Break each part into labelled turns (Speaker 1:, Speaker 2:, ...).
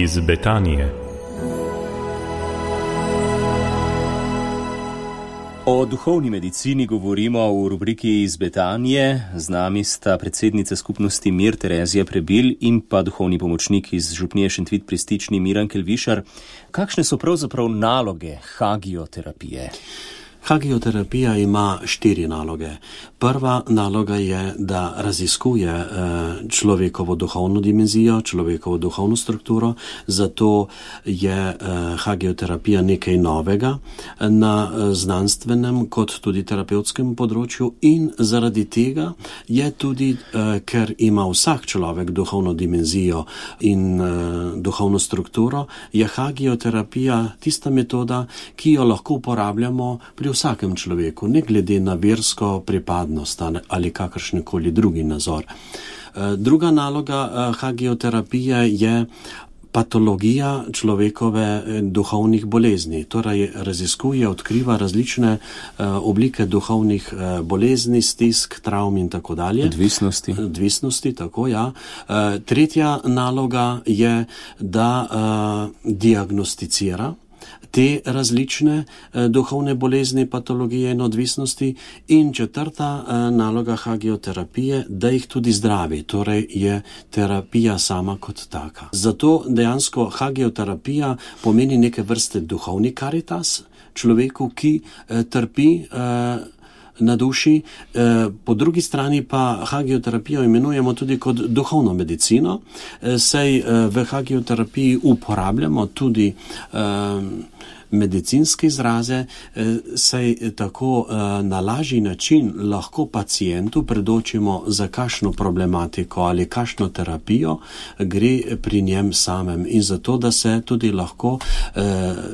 Speaker 1: iz Betanije.
Speaker 2: O duhovni medicini govorimo v rubriki iz Betanije. Z nami sta predsednica skupnosti Mir Terezija Prebil in pa duhovni pomočnik iz župnije Šentvid pri Stični Miran Kelvišar. Kakšne so pravzaprav naloge hagioterapije?
Speaker 3: Hagioterapija ima 4 naloge. Prva naloga je, da raziskuje človekovo duhovno dimenzijo, človekovo duhovno strukturo, zato je hagioterapija nekaj novega na znanstvenem kot tudi terapevtskem področju in zaradi tega je tudi, ker ima vsak človek duhovno dimenzijo in duhovno strukturo, je hagioterapija tista metoda, ki jo lahko uporabljamo pri vsakem človeku, ne glede na versko pripadnost ali kakršenkoli drugi nazor. Druga naloga hagioterapije je patologija človekove duhovnih bolezni, torej raziskuje, odkriva različne oblike duhovnih bolezni, stisk, travm in tako dalje. Odvisnosti, tako ja. Tretja naloga je, da diagnosticira te različne duhovne bolezni, patologije in odvisnosti in četrta naloga hagioterapije, da jih tudi zdravi, torej je terapija sama kot taka. Zato dejansko hagioterapija pomeni neke vrste duhovni karitas človeku, ki trpi na duši, po drugi strani pa hagioterapijo imenujemo tudi kot duhovno medicino, saj v hagioterapiji uporabljamo tudi medicinske izraze, saj tako na lažji način lahko pacientu predočimo, za kakšno problematiko ali kakšno terapijo gre pri njem samem in zato, da se tudi lahko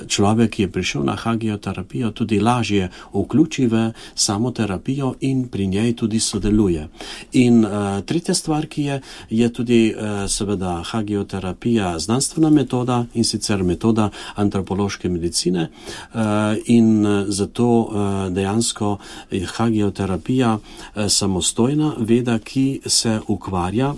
Speaker 3: človek, ki je prišel na hagioterapijo, tudi lažje vključi v samo terapijo in pri njej tudi sodeluje. In tretja stvar, ki je tudi seveda hagioterapija znanstvena metoda in sicer metoda antropološke medicine, in zato dejansko je hagioterapija samostojna veda, ki se ukvarja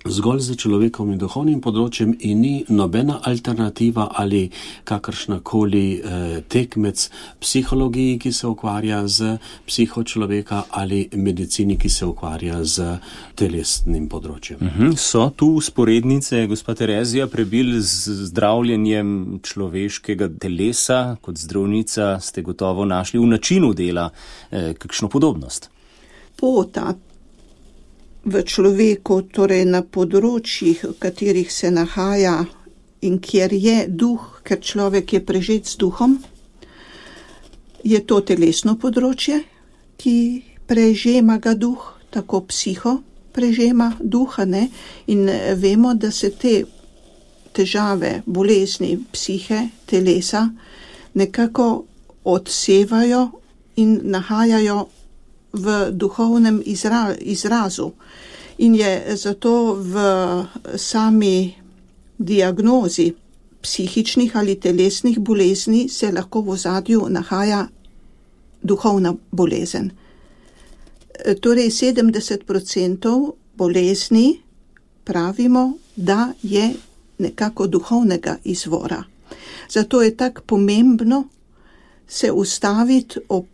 Speaker 3: zgolj z človekovim duhovnim področjem in ni nobena alternativa ali kakršnakoli tekmec psihologiji, ki se ukvarja z psiho človeka, ali medicini, ki se ukvarja z telesnim področjem.
Speaker 2: So tu vzporednice, gospa Terezija Prebil, z zdravljenjem človeškega telesa? Kot zdravnica ste gotovo našli v načinu dela kakšno podobnost?
Speaker 4: Pota v človeku, torej na področjih, v katerih se nahaja in kjer je duh, ker človek je prežet z duhom, je to telesno področje, ki prežema ga duh, tako psiho prežema duha, ne? In vemo, da se te težave, bolezni psihe, telesa nekako odsevajo in nahajajo v duhovnem izrazu. In je zato v sami diagnozi psihičnih ali telesnih bolezni se lahko v ozadju nahaja duhovna bolezen. Torej 70% bolezni pravimo, da je nekako duhovnega izvora. Zato je tako pomembno se ustaviti ob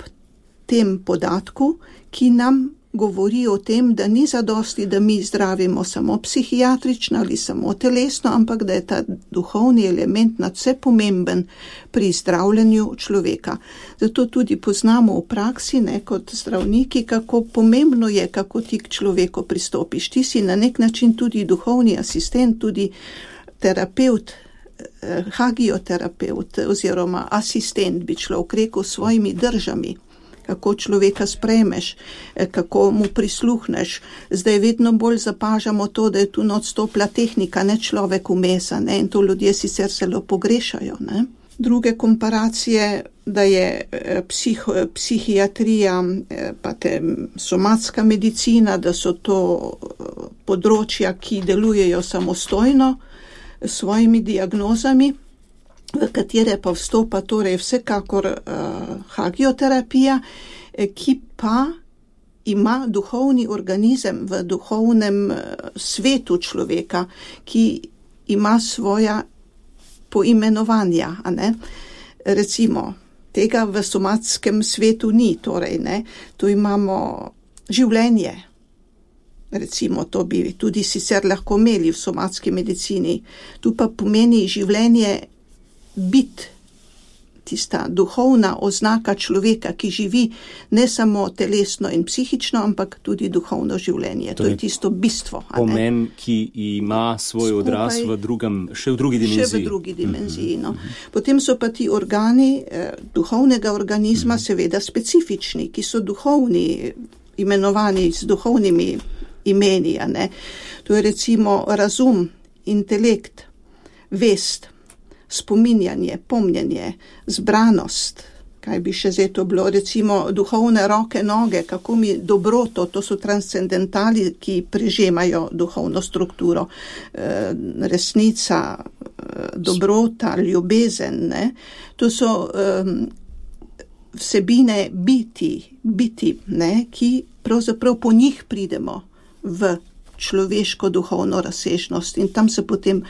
Speaker 4: tem podatku, ki nam govori o tem, da ni zadosti, da mi zdravimo samo psihiatrično ali samo telesno, ampak da je ta duhovni element nadvse pomemben pri zdravljenju človeka. Zato tudi poznamo v praksi, ne, kot zdravniki, kako pomembno je, kako ti k človeku pristopiš. Ti si na nek način tudi duhovni asistent, tudi terapeut, hagioterapeut oziroma asistent, bi človek rekel, s svojimi držami. Kako človeka sprejmeš, kako mu prisluhneš. Zdaj vedno bolj zapažamo to, da je tu odstopila tehnika, ne človek vmesa, ne, in to ljudje sicer zelo pogrešajo, ne. Druge komparacije, da je psihiatrija, pa somatska medicina, da so to področja, ki delujejo samostojno s svojimi diagnozami, v katere pa vstopa torej vsekakor hagioterapija, ki pa ima duhovni organizem v duhovnem svetu človeka, ki ima svoja poimenovanja, a ne. Recimo, tega v somatskem svetu ni, torej, ne. Tu imamo življenje. Recimo, to bi tudi sicer lahko imeli v somatski medicini. Tu pa pomeni življenje bit, tista duhovna oznaka človeka, ki živi ne samo telesno in psihično, ampak tudi duhovno življenje. To je tisto bistvo.
Speaker 2: Pomen, ki ima svoj odraz v drugi dimenziji.
Speaker 4: Še v drugi dimenziji, no. Potem so pa ti organi duhovnega organizma seveda specifični, ki so duhovni, imenovani z duhovnimi imeni, a ne. To je recimo razum, intelekt, vest, spominjanje, pomnjenje, zbranost, kaj bi še zdaj to bilo, recimo duhovne roke, noge, kako mi dobroto, to so transcendentali, ki prežemajo duhovno strukturo, resnica, dobrota, ljubezen, ne. To so vsebine biti, ne, ki pravzaprav po njih pridemo v človeško duhovno razsežnost in tam se potem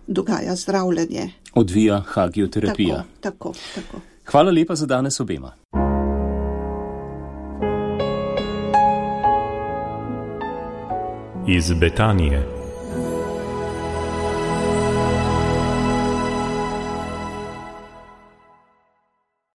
Speaker 4: dogaja zdravljenje.
Speaker 2: Odvija hagioterapija.
Speaker 4: Tako.
Speaker 2: Hvala lepa za danes obema.
Speaker 1: Iz Betanije.